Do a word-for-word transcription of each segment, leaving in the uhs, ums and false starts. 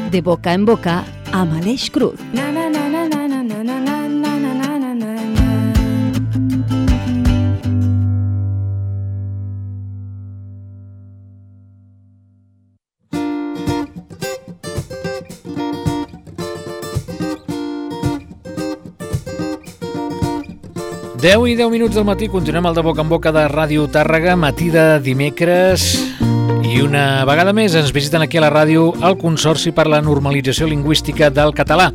De boca en boca amb Aleix Cruz. deu i deu minuts del matí, continuem el de boca en boca de Ràdio Tàrrega, matí de dimecres, i una vegada més ens visiten aquí a la ràdio el Consorci per la Normalització Lingüística del Català.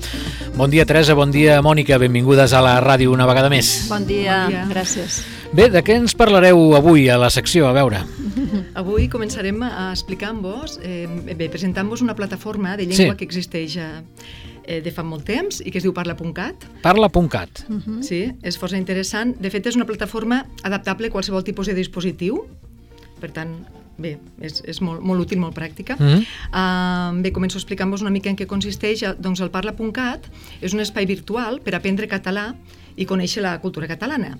Bon dia, Teresa, bon dia, Mònica, benvingudes a la ràdio una vegada més. Bon dia, bon dia. Gràcies. Bé, de què ens parlareu avui a la secció? A veure. Avui començarem a explicar-vos, eh, bé, presentant-vos una plataforma de llengua sí. que existeix a Eh, de fa molt temps i que es diu Parla punt cat. Parla punt cat. Uh-huh. Sí, és força interessant. De fet, és una plataforma adaptable a qualsevol tipus de dispositiu. Per tant, bé, és, és molt, molt útil, molt pràctica. Uh-huh. Uh, bé, començo explicant-vos una mica en què consisteix. Doncs el Parla punt cat és un espai virtual per aprendre català i conèixer la cultura catalana.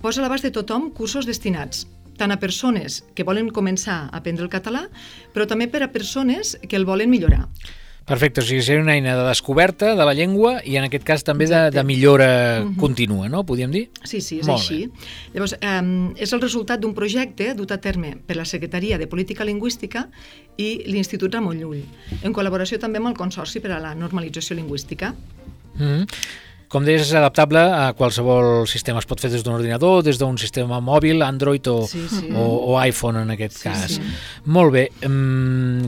Posa a l'abast de tothom cursos destinats tant a persones que volen començar a aprendre el català, però també per a persones que el volen millorar. Perfecte, o sigui, és una eina de descoberta de la llengua i en aquest cas també de, de millora uh-huh. contínua, no? Podríem dir? Sí, sí, és Molt així. Bé. Llavors, eh, és el resultat d'un projecte dut a terme per la Secretaria de Política Lingüística i l'Institut Ramon Llull, en col·laboració també amb el Consorci per a la Normalització Lingüística. Mm-hmm. Com deies, és adaptable a qualsevol sistema. Es pot fer des d'un ordinador, des d'un sistema mòbil, Android o, sí, sí. o, o iPhone en aquest sí, cas. Sí. Molt bé.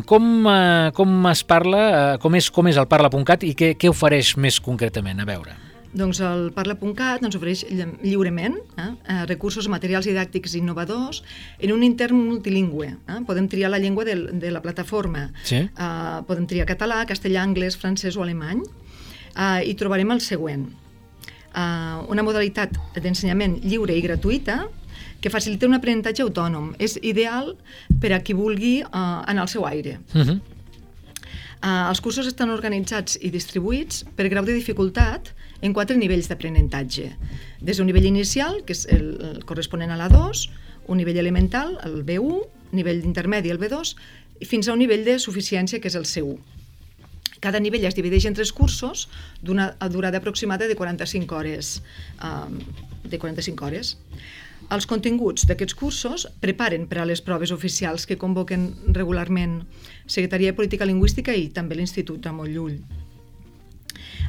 Com, com es parla, com és, com és el Parla punt cat i què, què ofereix més concretament? A veure. Doncs el Parla punt cat ens ofereix lliurement eh, recursos materials didàctics innovadors en un intern multilingüe. Eh? Podem triar la llengua de, de la plataforma. Sí. Eh, podem triar català, castellà, anglès, francès o alemany. Uh, i trobarem el següent. Uh, una modalitat d'ensenyament lliure i gratuïta que facilita un aprenentatge autònom. És ideal per a qui vulgui uh, anar al seu aire. Uh-huh. Uh, els cursos estan organitzats i distribuïts per grau de dificultat en quatre nivells d'aprenentatge. Des d'un nivell inicial, que és el, el corresponent a l'A dos, un nivell elemental, el B u, nivell intermedi, el B dos, i fins a un nivell de suficiència, que és el C u. Cada nivell es divideix en tres cursos d'una durada aproximada de quaranta-cinc hores. Um, de quaranta-cinc hores. Els continguts d'aquests cursos preparen per a les proves oficials que convoquen regularment Secretaria de Política Lingüística i també l'Institut Ramon Llull.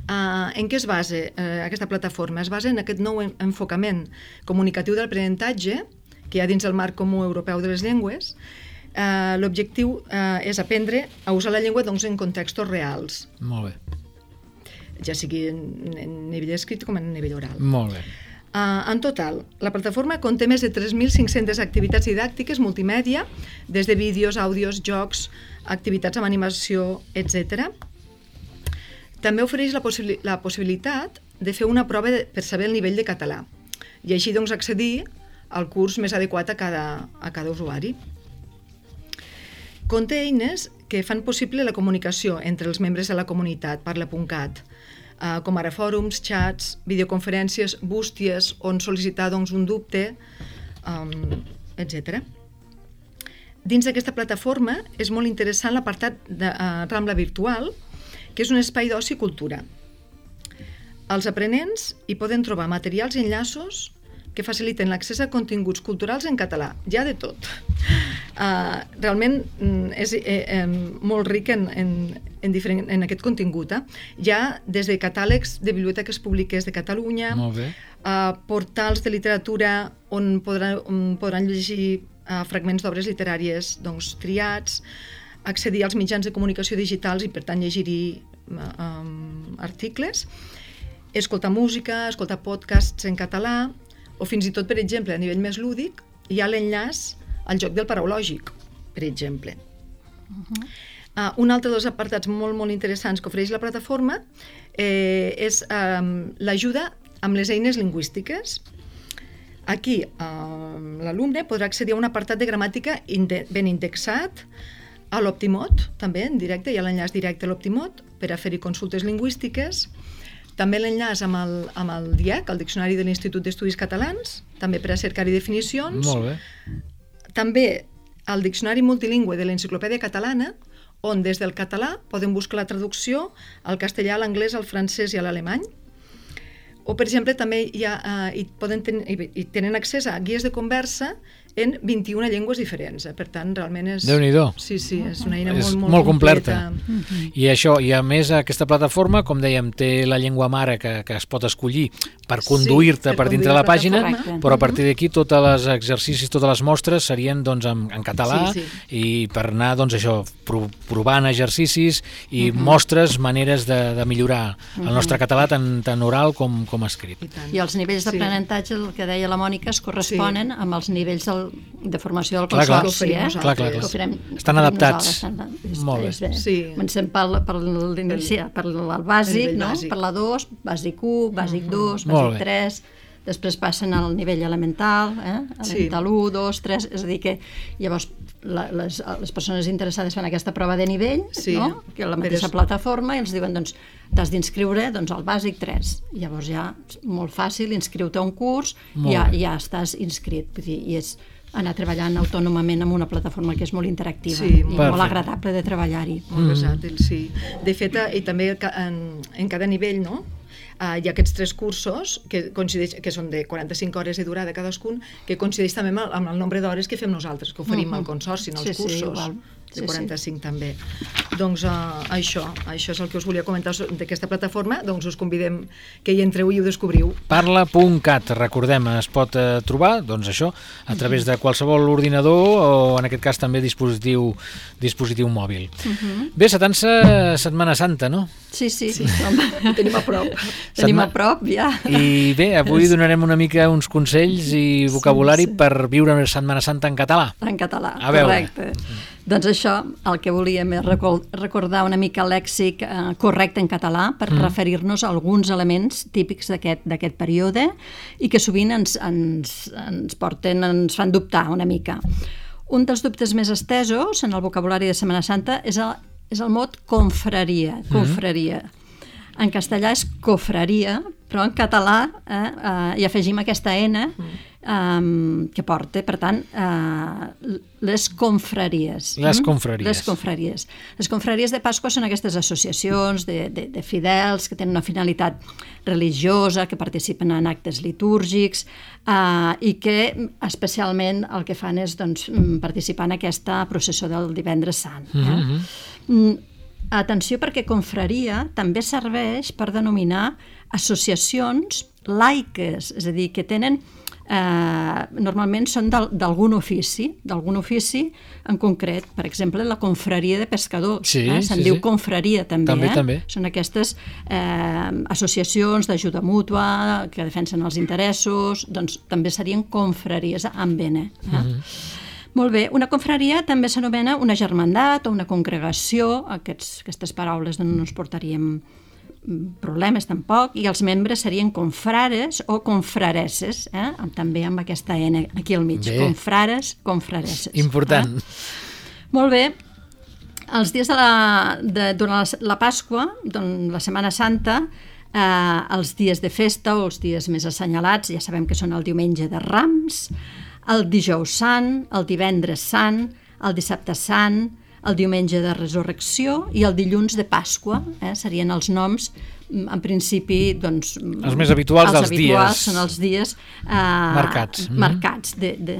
Uh, en què es basa uh, aquesta plataforma? Es basa en aquest nou enfocament comunicatiu de l'aprenentatge que hi ha dins el marc comú europeu de les llengües. Uh, l'objectiu uh, és aprendre a usar la llengua doncs, en contextos reals. Molt bé. Ja sigui en, en nivell escrit com en nivell oral. Molt bé. Uh, en total, la plataforma conté més de tres mil cinc-centes activitats didàctiques multimèdia, des de vídeos, àudios, jocs, activitats amb animació, etcètera. També ofereix la, possi- la possibilitat de fer una prova de, per saber el nivell de català i així doncs, accedir al curs més adequat a cada, a cada usuari. Conté eines que fan possible la comunicació entre els membres de la comunitat Parla punt cat, eh, com ara fòrums, xats, videoconferències, bústies, on sol·licitar doncs, un dubte, um, etcètera. Dins d'aquesta plataforma és molt interessant l'apartat de uh, Rambla Virtual, que és un espai d'oci i cultura. Els aprenents hi poden trobar materials i enllaços que faciliten l'accés a continguts culturals en català. Hi ha de tot. Uh, realment és eh, eh, molt ric en, en, en, diferent, en aquest contingut. Eh? Hi ha des de catàlegs de biblioteques públiques de Catalunya, uh, portals de literatura on, podrà, on podran llegir uh, fragments d'obres literàries doncs, triats, accedir als mitjans de comunicació digitals i per tant llegir-hi uh, um, articles, escoltar música, escoltar podcasts en català, o fins i tot, per exemple, a nivell més lúdic, hi ha l'enllaç al joc del paraulògic, per exemple. Uh-huh. Uh, un altre dels apartats molt, molt interessants que ofereix la plataforma eh, és um, l'ajuda amb les eines lingüístiques. Aquí uh, l'alumne podrà accedir a un apartat de gramàtica inde- ben indexat, a l'Optimot, també, en directe, hi ha l'enllaç directe a l'Optimot per a fer-hi consultes lingüístiques. També l'enllaç amb el, amb el D I E C, el Diccionari de l'Institut d'Estudis Catalans, també per a cercar-hi definicions. Molt bé. També al Diccionari Multilingüe de l'Enciclopèdia Catalana, on des del català poden buscar la traducció al castellà, a l'anglès, al francès i a l'alemany. O, per exemple, també hi, ha, uh, hi, poden ten hi tenen accés a guies de conversa en vint-i-una llengües diferents. Eh? Per tant, realment és... Déu-n'hi-do. Sí, sí, és una eina és molt, molt, molt completa. completa. I això, i a més aquesta plataforma, com dèiem, té la llengua mare que, que es pot escollir per conduir-te sí, per dintre la pàgina, correcte. però a partir d'aquí tots els exercicis, totes les mostres serien doncs, en, en català sí, sí. i per anar doncs, això, provant exercicis i uh -huh. mostres, maneres de, de millorar uh -huh. el nostre català tant, tant oral com, com escrit. I, I els nivells d'aprenentatge, el que deia la Mònica, es corresponen sí. amb els nivells del, de formació del consorci. Clar, eh? clar, clar, clar. Farem, estan adaptats. És, molt bé. És bé. Sí. Comencem per, per l'iniciar, per el bàsic, no? bàsic. Per la dos, bàsic u, bàsic dos, Molt bàsic tres, després passen al nivell elemental, eh? elemental sí. u, dos, tres, és a dir que llavors la, les, les persones interessades fan aquesta prova de nivell, sí. no? Que la mateixa Però... plataforma, i els diuen, doncs, t'has d'inscriure doncs, al bàsic tres. Llavors ja, molt fàcil, inscriu-te a un curs, i ja, ja estàs inscrit. Vull dir, i és anar treballant autònomament amb una plataforma que és molt interactiva sí, i perfecte. molt agradable de treballar-hi. Molt versàtil, sí. De fet, i també en, en cada nivell, no?, Uh, hi ha aquests tres cursos que, coincideix, que són de quaranta-cinc hores de durada cadascun, que coincideix també amb el, amb el nombre d'hores que fem nosaltres, que oferim uh -huh. al Consorci, no els sí, cursos. Sí, igual. De quaranta-cinc sí, sí. també. Doncs uh, això, això és el que us volia comentar d'aquesta plataforma, doncs us convidem que hi entreu i ho descobriu. Parla punt cat, recordem, es pot eh, trobar, doncs això, a través de qualsevol ordinador o en aquest cas també dispositiu, dispositiu mòbil. Uh -huh. Bé, s'atança Setmana Santa, no? Sí, sí, sí. Ho tenim a prop. Tenim a prop, ja. I bé, avui donarem una mica uns consells i vocabulari sí, sí. per viure una Setmana Santa en català. En català, a veure. Correcte. Doncs això, el que volíem és recordar una mica el lèxic eh, correcte en català per mm. referir-nos a alguns elements típics d'aquest període i que sovint ens, ens, ens porten, ens fan dubtar una mica. Un dels dubtes més estesos en el vocabulari de Setmana Santa és el, és el mot confraria, confraria. Mm. En castellà és cofraria, però en català eh, eh, hi afegim aquesta N um, que porta, per tant, uh, les confraries. Les confraries. Les confraries. Les confraries de Pasqua són aquestes associacions de, de, de fidels que tenen una finalitat religiosa, que participen en actes litúrgics uh, i que especialment el que fan és doncs, participar en aquesta processó del Divendres Sant. Eh? Mm-hmm. Mm, atenció, perquè confraria també serveix per denominar associacions laiques, és a dir, que tenen eh, normalment són d'algun ofici, d'algun ofici en concret, per exemple la confraria de pescadors, sí, eh? se'n sí, diu sí. confraria també, també, eh? també. Són aquestes eh, associacions d'ajuda mútua que defensen els interessos, doncs també serien confraries amb N. Eh? Mm-hmm. Molt bé, una confraria també s'anomena una germandat o una congregació, aquests, aquestes paraules no ens portaríem problemes tampoc, i els membres serien confrares o confrareses, eh? també amb aquesta N aquí al mig, bé. Confrares, confrareses. Important. Eh? Molt bé, els dies de la, de, durant la, la Pasqua, doncs, la Setmana Santa, eh, els dies de festa o els dies més assenyalats, ja sabem que són el diumenge de Rams, el dijous sant, el divendres sant, el dissabte sant, el diumenge de Resurrecció i el dilluns de Pasqua, eh? serien els noms, en principi, doncs... Els més habituals els dels habituals dies. Són els dies eh, marcats, marcats de, de,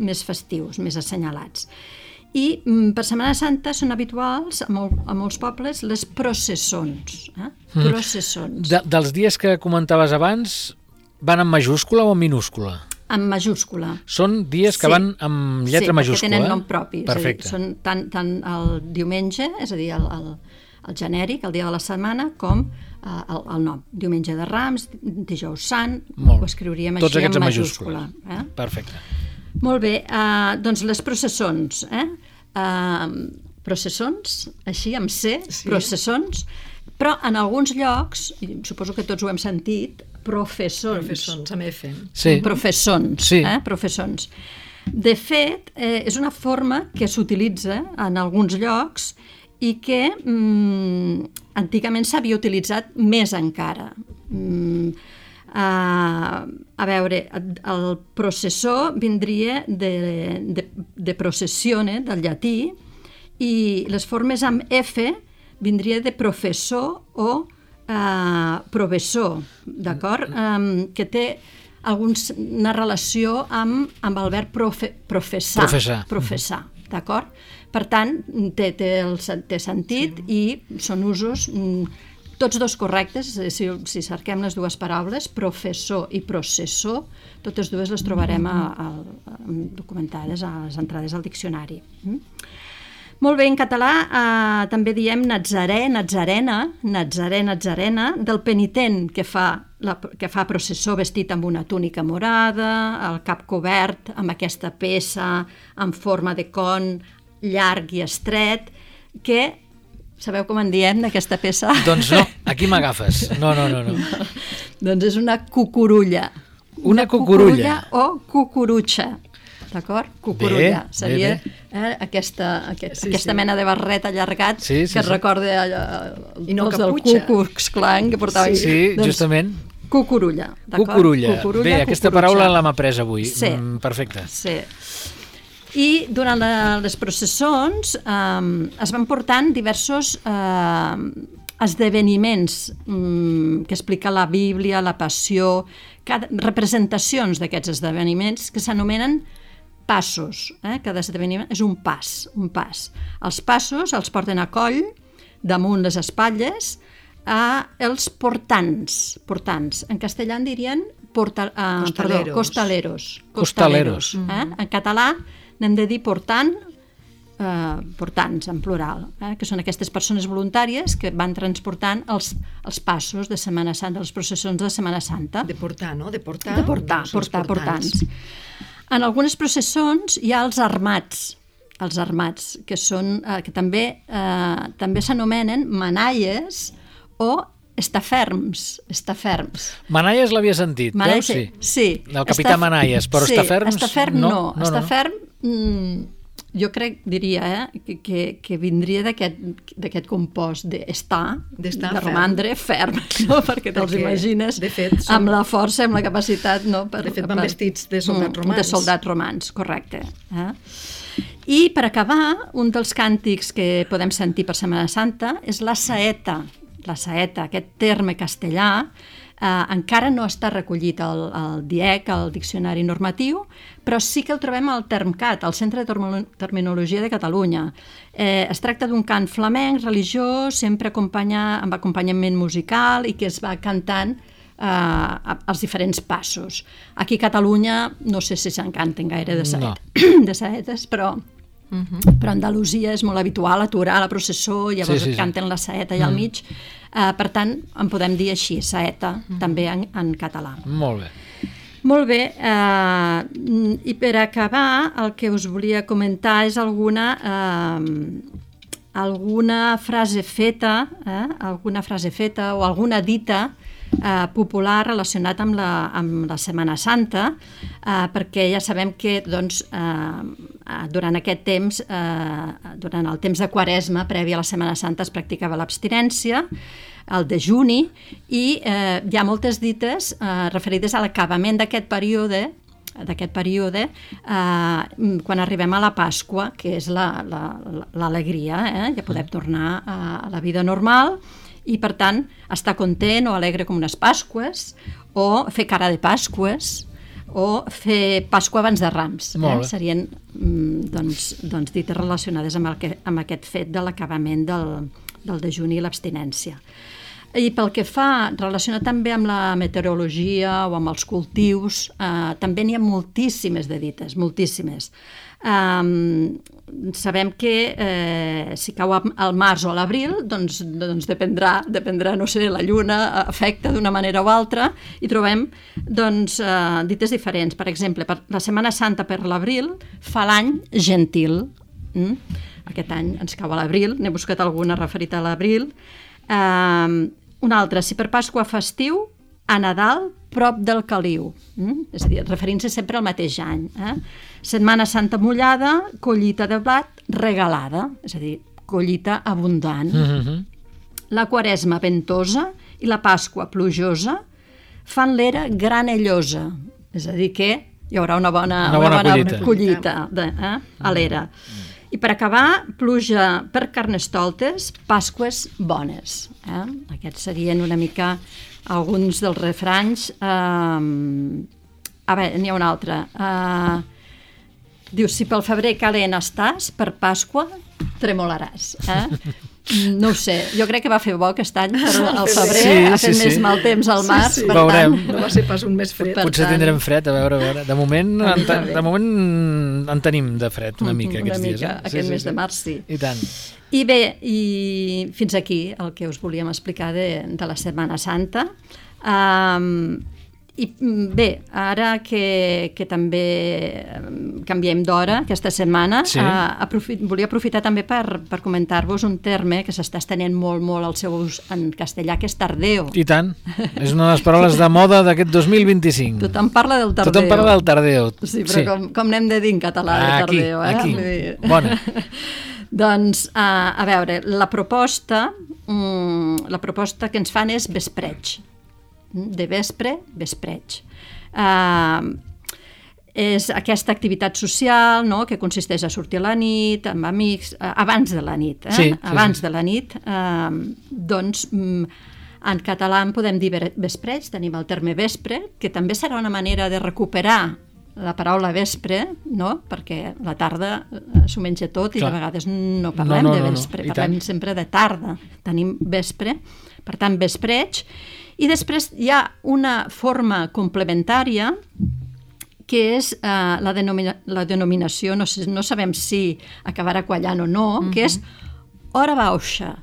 més festius, més assenyalats. I per Setmana Santa són habituals a, mol, a molts pobles les processons. Eh? Processons. De, dels dies que comentaves abans, van en majúscula o en minúscula? En majúscula. Són dies que sí. van amb lletra sí, majúscula. Sí, perquè tenen nom propi. Perfecte. És a dir, són tant, tant el diumenge, és a dir, el, el, el genèric, el dia de la setmana, com uh, el, el nom. Diumenge de Rams, dijous sant, Molt. Ho escriuríem Tots així en majúscula. majúscula. Eh? Perfecte. Molt bé, uh, doncs les processons. Eh? Uh, processons, així amb C, sí. Processons, però en alguns llocs, i suposo que tots ho hem sentit, professons. Professons, amb F. Sí. Professons. Sí. Eh? Professons. De fet, eh, és una forma que s'utilitza en alguns llocs i que mm, antigament s'havia utilitzat més encara. Mm, Uh, a veure, el processó vindria de, de, de processione, del llatí, i les formes amb F vindria de professor o uh, professor, d'acord? Um, que té alguns, una relació amb, amb el verb profe, professar, professar, professar, d'acord? Per tant, té, té, el, té sentit, sí. I són usos tots dos correctes. Si, si cerquem les dues paraules, professor i processor, totes dues les trobarem a, a, a, documentades a les entrades al diccionari. Mm? Molt bé, en català eh, també diem natzarè, natzarena, natzarè, natzarena, del penitent que fa, la, que fa processó vestit amb una túnica morada, el cap cobert amb aquesta peça en forma de con llarg i estret, que... Sabeu com en diem, d'aquesta peça? Doncs no, aquí m'agafes. No, no, no, no. Doncs és una cucurulla. Una, una cucurulla. cucurulla o cucurutxa, d'acord? Cucurulla. Bé, seria bé, bé. Eh, aquesta, aquest, sí, aquesta sí. mena de barret allargat sí, sí, que es sí. recorda allò, I no els del caputxa. Ku Klux Klan que portaven. Sí, sí, doncs, justament. Cucurulla, d'acord? Cucurulla. Cucurulla. Bé, aquesta cucurutxa. paraula l'hem après avui. Sí. Mm, perfecte. Sí. I durant la, les processons eh, es van portant diversos eh, esdeveniments eh, que explica la Bíblia, la Passió, cada, representacions d'aquests esdeveniments que s'anomenen passos. Eh? Cada esdeveniment és un pas, un pas. Els passos els porten a coll, damunt les espatlles, a els portants. Portants. En castellà en dirien porta, eh, Costaleros. perdó, costaleros. Costaleros. Eh? En català n'hem de dir portant, eh, portants en plural, eh? Que són aquestes persones voluntàries que van transportant els, els passos de Setmana Santa, les processons de Setmana Santa. De portar, no? De portar. De portar, doncs, portar, portants. portants. En algunes processons hi ha els armats, els armats, que, són, eh, que també, eh, també s'anomenen manalles o estaferms, estaferms. Manalles l'havia sentit, Manalles, veus? Sí. sí. El capità Estaf... Manalles, però sí, estaferms... Estaferm no. no, no, estaferm no. Mm, jo crec, diria, eh, que, que, que vindria d'aquest compost d'estar, de romandre ferm, no? Perquè te'ls imagines de fet, som... amb la força, amb la capacitat... No? Per, de fet, van per... vestits de soldats romans. De soldats romans, correcte. Eh? I per acabar, un dels càntics que podem sentir per Setmana Santa és la saeta. La saeta, aquest terme castellà, eh, encara no està recollit al, al D I E C, al Diccionari Normatiu, però sí que el trobem al TermCat, al Centre de Terminologia de Catalunya. Eh, es tracta d'un cant flamenc, religiós, sempre acompanya, amb acompanyament musical i que es va cantant eh, els diferents passos. Aquí a Catalunya no sé si se'n canten gaire de, saet, no. de saetes, però... Uh-huh. Però a Andalusia és molt habitual aturar la processó i llavors sí, sí, canten sí. la saeta allà al mig. Uh, per tant, en podem dir així, saeta, uh-huh. també en, en català. Molt bé. Molt bé. Uh, I per acabar, el que us volia comentar és alguna, uh, alguna frase feta, eh? alguna frase feta o alguna dita Eh, popular relacionat amb la, amb la Setmana Santa, eh, perquè ja sabem que doncs, eh, durant aquest temps, eh, durant el temps de Quaresma, previ a la Setmana Santa, es practicava l'abstinència, el dejuni, i eh, hi ha moltes dites eh, referides a l'acabament d'aquest període, d'aquest període, eh, quan arribem a la Pasqua, que és l'alegria, eh? Ja podem tornar a, a la vida normal, i per tant estar content o alegre com unes Pasques, o fer cara de Pasques, o fer Pasqua abans de Rams. Eh? Serien doncs, doncs, dites relacionades amb, el que, amb aquest fet de l'acabament del, del dejuni i l'abstinència. I pel que fa, relacionat també amb la meteorologia o amb els cultius, eh, també n'hi ha moltíssimes de dites, moltíssimes. Um, sabem que eh, si cau al març o a l'abril, doncs, doncs dependrà, dependrà, no sé, la lluna afecta d'una manera o altra, i trobem doncs, eh, dites diferents. Per exemple, per la Setmana Santa per l'abril fa l'any gentil. Mm? Aquest any ens cau a l'abril, n'he buscat alguna referida a l'abril. Um, una altra, si per Pasqua festiu, a Nadal, prop del caliu. Mm? És a dir, referint-se sempre al mateix any. Eh? Setmana Santa mullada, collita de blat regalada, és a dir, collita abundant. Mm-hmm. La Quaresma ventosa i la Pasqua plujosa, fan l'era granellosa, és a dir que hi haurà una bona, una bona, una bona collita, collita de, eh, a l'era. I per acabar, pluja per Carnestoltes, Pasques bones. Eh? Aquests serien una mica alguns dels refranys. Uh, a veure, n'hi ha un altre. Uh, diu, si pel febrer calent estàs, per Pasqua tremolaràs. Eh? No ho sé, jo crec que va fer bo aquest any, però al febrer sí, ha fet sí, més sí. mal temps al març. Sí, sí. Per Veurem. Tant, no va ser pas un mes fred. Potser tant... tindrem fred, a veure, a veure. De moment, en, de moment en tenim de fred una mica aquests una dies. Mica, eh? aquest sí, mes sí, de març, sí. I tant. I bé, i fins aquí el que us volíem explicar de, de la Setmana Santa. Um, I bé, ara que, que també canviem d'hora aquesta setmana, sí. uh, aprofit, volia aprofitar també per, per comentar-vos un terme que s'està estenent molt, molt al seu ús en castellà, que és tardeo. I tant, és una de les paraules de moda d'aquest dos mil vint-i-cinc. Tothom parla del tardeo. Tothom parla del tardeo. Sí, però sí. Com, com n'hem de dir en català de aquí, tardeo? Eh? Aquí, bona. Doncs, uh, a veure, la proposta, um, la proposta que ens fan és vespreig. De vespre, vespreig. Uh, és aquesta activitat social, no?, que consisteix a sortir a la nit, amb amics, uh, abans de la nit. Eh? Sí, sí, abans sí. de la nit. Uh, doncs, um, en català en podem dir vespreig, tenim el terme vespre, que també serà una manera de recuperar la paraula vespre, no?, perquè la tarda s'ho menja tot i Clar. De vegades no parlem no, no, de vespre, no, no. parlem sempre de tarda. Tenim vespre, per tant, vespreig. I després hi ha una forma complementària que és uh, la, denomina la denominació, no, sé, no sabem si acabarà quallant o no, uh-huh. que és hora baixa.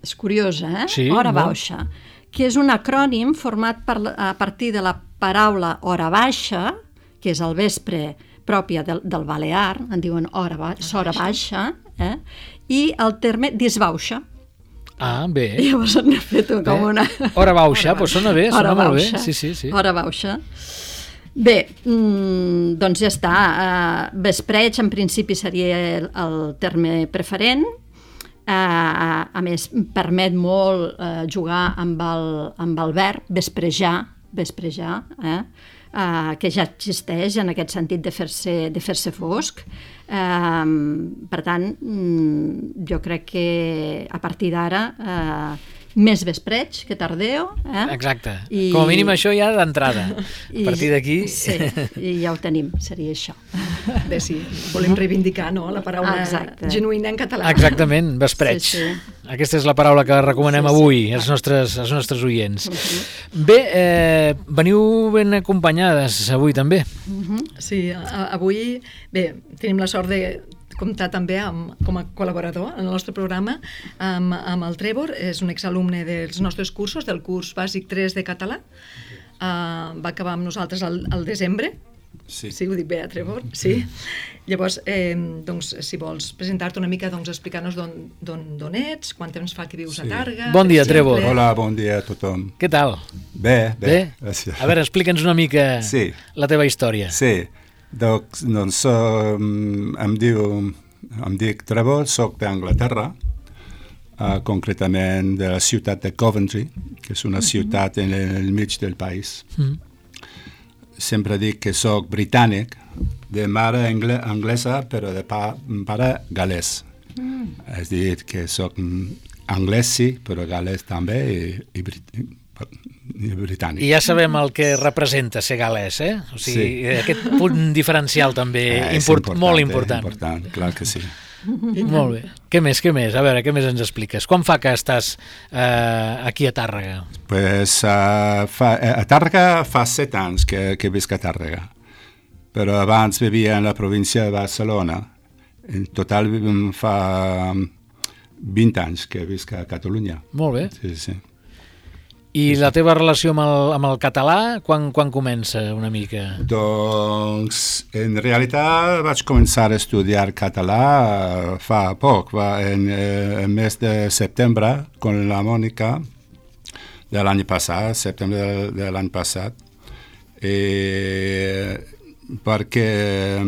És curiosa, eh? Sí, hora no? baixa, que és un acrònim format per, a partir de la paraula hora baixa, que és el vespre pròpia del, del balear, en diuen hora, ba hora baixa, eh? I el terme disbauxa. Ah, bé. I llavors n'he fet com una... Hora baixa, doncs sona bé, sona molt bé. Sí, sí, sí. Hora baixa. Bé, mmm, doncs ja està. Uh, vespreig, en principi, seria el, el terme preferent. Uh, a, a més, permet molt uh, jugar amb el, amb el verb vesprejar, vesprejar, eh? Uh, que ja existeix en aquest sentit de fer-se de fer-se fosc. Uh, per tant, mm, jo crec que a partir d'ara uh, més vespreig que tardeo. Eh? Exacte. I... Com a mínim això ja d'entrada. A partir d'aquí... Sí, i ja ho tenim, seria això. Bé, sí, volem reivindicar, no?, la paraula Exacte. genuïna en català. Exactament, vespreig. Sí, sí. Aquesta és la paraula que recomanem sí, sí. avui als nostres, als nostres oients. Uh -huh. Bé, eh, veniu ben acompanyades avui també. Uh -huh. Sí, a, avui, bé, tenim la sort de comptar també amb, com a col·laborador en el nostre programa amb, amb el Trevor, és un exalumne dels nostres cursos, del curs bàsic tres de català. Uh, va acabar amb nosaltres al, al desembre. Sí. Sí, ho dic bé, Trevor? Sí. Llavors, eh, doncs, si vols presentar-te una mica, doncs, explicar-nos d'on ets, quant temps fa que vius sí. a Tàrrega... Bon dia, Trevor. Hola, bon dia a tothom. Què tal? Bé, bé. bé? A veure, explica'ns una mica sí. la teva història. Sí, doncs, doncs um, em, diu, em dic Trevor, soc d'Anglaterra, uh, concretament de la ciutat de Coventry, que és una mm -hmm. ciutat en el mig del país. Mm -hmm. Sempre dic que soc britànic, de mare angle anglesa, però de pa pare galès. Mm. És a dir, que soc anglès, sí, però galès també i, i, i britànic. I ja sabem el que representa ser galès, eh? O sigui, sí. aquest punt diferencial també eh, import, important, molt important. És important, clar que sí. Molt bé. Què més, què més? A veure, què més ens expliques? Quan fa que estàs eh, aquí a Tàrrega? Pues, uh, fa, a Tàrrega fa set anys que, que visc a Tàrrega, però abans vivia en la província de Barcelona. En total fa vint anys que visc a Catalunya. Molt bé. Sí, sí. I la teva relació amb el, amb el català, quan, quan comença una mica? Doncs, en realitat vaig començar a estudiar català fa poc, va, en el mes de setembre, con la Mònica, de l'any passat, setembre de, de l'any passat, eh, perquè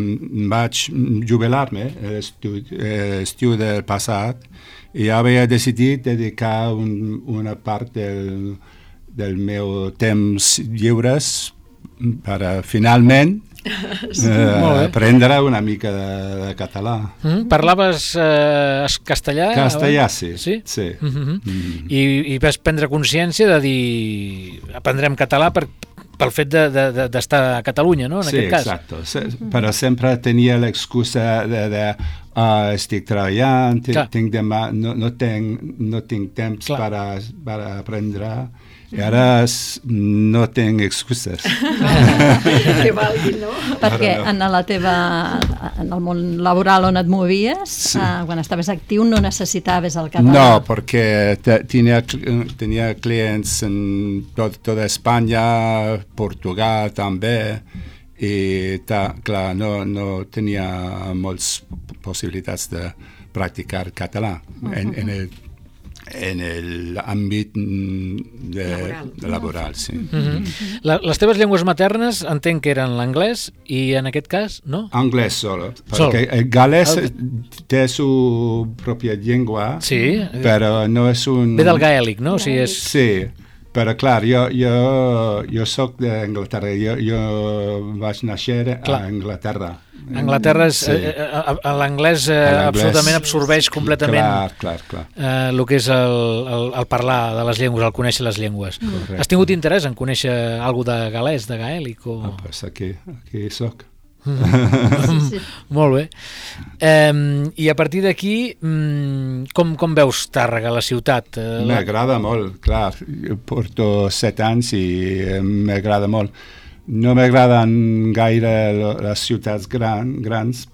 vaig jubilar-me l'estiu del passat i havia decidit dedicar un, una part del, del meu temps lliures per a, finalment, sí, eh, aprendre una mica de, de català. Mm, parlaves eh, castellà? Castellà, sí. Sí? Sí. Mm-hmm. Mm. I, I vas prendre consciència de dir aprendrem català per, pel fet d'estar de, de, de a Catalunya, no? En sí, aquest cas. exacto. Se, però sempre tenia l'excusa de, de uh, estic treballant, tinc demà, no, no, tenc, no tinc temps per, a, per a aprendre. I ara no tinc excuses. Que valgui, no? Perquè en la teva, en el món laboral on et movies, sí. eh, quan estaves actiu, no necessitaves el català. No, perquè tenia, tenia clients en tot, tota Espanya, Portugal també, i ta, clar, no, no tenia moltes possibilitats de practicar català uh-huh. en, en el en l'àmbit de, laboral. De laboral, sí. Mm-hmm. La, les teves llengües maternes entenc que eren l'anglès i en aquest cas, no? Anglès solo, Sol. perquè el galès el... té su pròpia llengua, sí. però no és un... Ve del gaèlic, no? O sigui, és... Sí, però clar, jo, jo, jo soc d'Anglaterra, jo, jo vaig néixer a Anglaterra. Anglaterra és, sí. eh, eh, l'anglès eh, absolutament absorbeix completament clar, clar, clar. Eh, el que és el, el, el parlar de les llengües, el conèixer les llengües. Correcte. Has tingut interès en conèixer alguna de galès, de gaèlic? O... Ah, pues aquí, aquí soc. sí, sí. Molt bé. Eh, I a partir d'aquí, com, com veus Tàrrega, la ciutat? Eh, m'agrada molt, clar. Jo porto set anys i m'agrada molt. No m'agraden gaire les ciutats gran, grans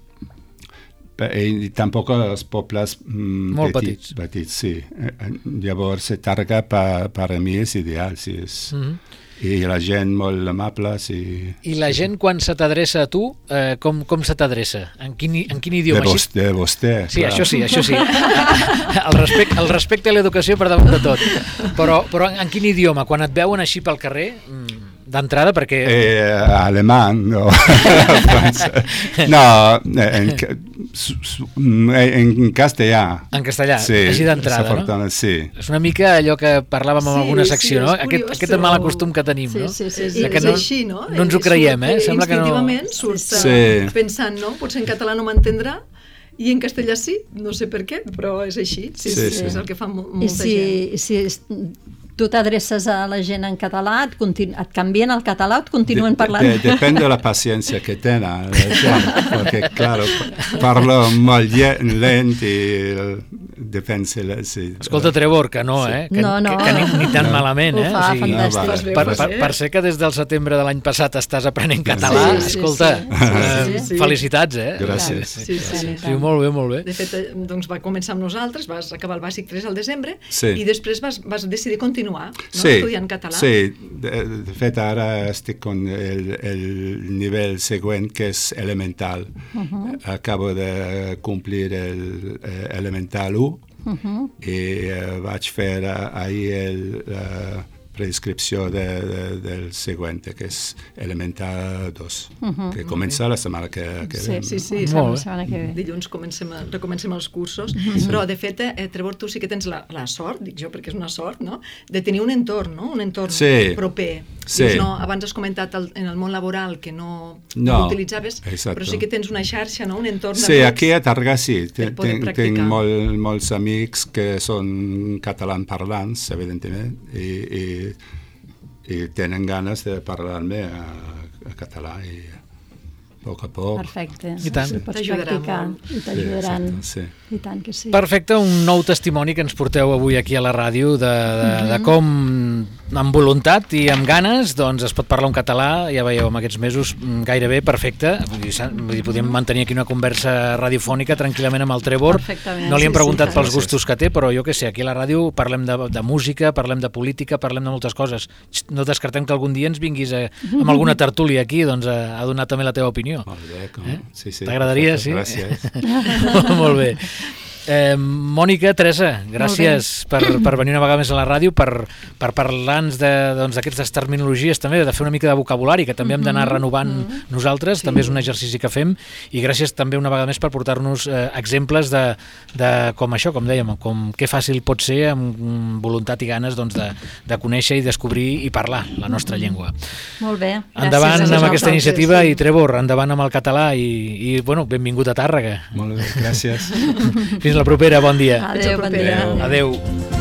i tampoc els pobles mm, molt petits, petits. petits, sí. Llavors, Tàrrega per, per a mi és ideal, sí. És, mm-hmm. I la gent molt amable, sí. I la gent, quan se t'adreça a tu, eh, com, com se t'adreça? En quin, en quin idioma? De vostè, de vostè. Sí, clar. això sí, això sí. El respecte, el respecte a l'educació per damunt de tot. Però, però en quin idioma? Quan et veuen així pel carrer... Mm, d'entrada, perquè... Eh, alemany, no. no, en, en castellà. En castellà, sí, així d'entrada, no? Sí. És una mica allò que parlàvem en sí, alguna secció, sí, no? Aquest, aquest mal acostum que tenim, sí, no? Sí, sí, sí. Que és no, així, no? No ens ho creiem, eh? Surt, Sembla que no... instintivament surt sí. pensant, no? Potser en català no m'entendrà, i en castellà sí, no sé per què, però és així. Sí, sí, sí. És el que fa molta I si, gent. I si tu t'adreces a la gent en català, et, continu, et canvien el català o et continuen de, parlant? De, depèn de la paciència que tenen la gent, perquè, claro, parlo molt lent i depèn si... si Escolta, Trevor, que no, sí. eh? Que, no, no. que, que ni, ni tan no. malament, eh? Ho fa, o sigui, fantàstic. No, vale. per, per, per ser que des del setembre de l'any passat estàs aprenent català, sí, sí, escolta, sí, sí, sí, eh, sí. felicitats, eh? Gràcies. Sí, sí, sí. Sí, molt bé, molt bé. De fet, doncs va començar amb nosaltres, vas acabar el bàsic tres al desembre, sí. i després vas, vas decidir continuar, no? Sí. Estudiant català. Sí, de, de fet ara estic con el, el nivell següent, que és elemental. Uh-huh. Acabo de complir el eh, elemental u uh-huh. i eh, vaig fer ahir la preinscripció de, de, del següent, que és elemental dos, uh-huh. que comença la setmana que, que sí, ve. Sí, sí, sí. La setmana que ve. Dilluns comencem a, recomencem els cursos, uh-huh. però de fet, eh, Trevor, tu sí que tens la, la sort, dic jo perquè és una sort, no?, de tenir un entorn, no?, un entorn sí. proper. Sí. Dius, no, abans has comentat el, en el món laboral que no, no, no utilitzaves, exacto. però sí que tens una xarxa, no?, un entorn sí, aquí a Tàrrega sí, tinc, tinc molt, molts amics que són catalans parlants, evidentment, i, i i tenen ganes de parlar-me a, a català i a poc a poc. Perfecte. I tant. Si pots practicar i t'ajudaran. Sí, I tant que sí. Perfecte, un nou testimoni que ens porteu avui aquí a la ràdio de, de, mm-hmm. de com amb voluntat i amb ganes doncs es pot parlar un català, ja veieu, en aquests mesos gairebé perfecte, vull dir, vull dir podem mantenir aquí una conversa radiofònica tranquil·lament amb el Trevor. No li hem preguntat sí, sí, pels gustos que té, però jo què sé, aquí a la ràdio parlem de, de música, parlem de política, parlem de moltes coses. No descartem que algun dia ens vinguis a, amb alguna tertúlia aquí doncs, a, a donar també la teva opinió. Molt bé, com... eh? sí, sí. T'agradaria, sí? Gràcies. Molt bé. Eh, Mònica, Teresa, gràcies per, per venir una vegada més a la ràdio, per, per parlar-nos d'aquestes doncs, terminologies també, de fer una mica de vocabulari, que també hem d'anar renovant mm-hmm. nosaltres, sí. també és un exercici que fem, i gràcies també una vegada més per portar-nos eh, exemples de, de com això, com dèiem, com que fàcil pot ser amb voluntat i ganes doncs, de, de conèixer i descobrir i parlar la nostra llengua. Molt bé. Endavant amb aquesta iniciativa i Trevor, endavant amb el català i, i bueno, benvingut a Tàrrega. Molt bé, gràcies. Fins la propera, bon dia. Adéu, bon dia. Adéu. Adéu.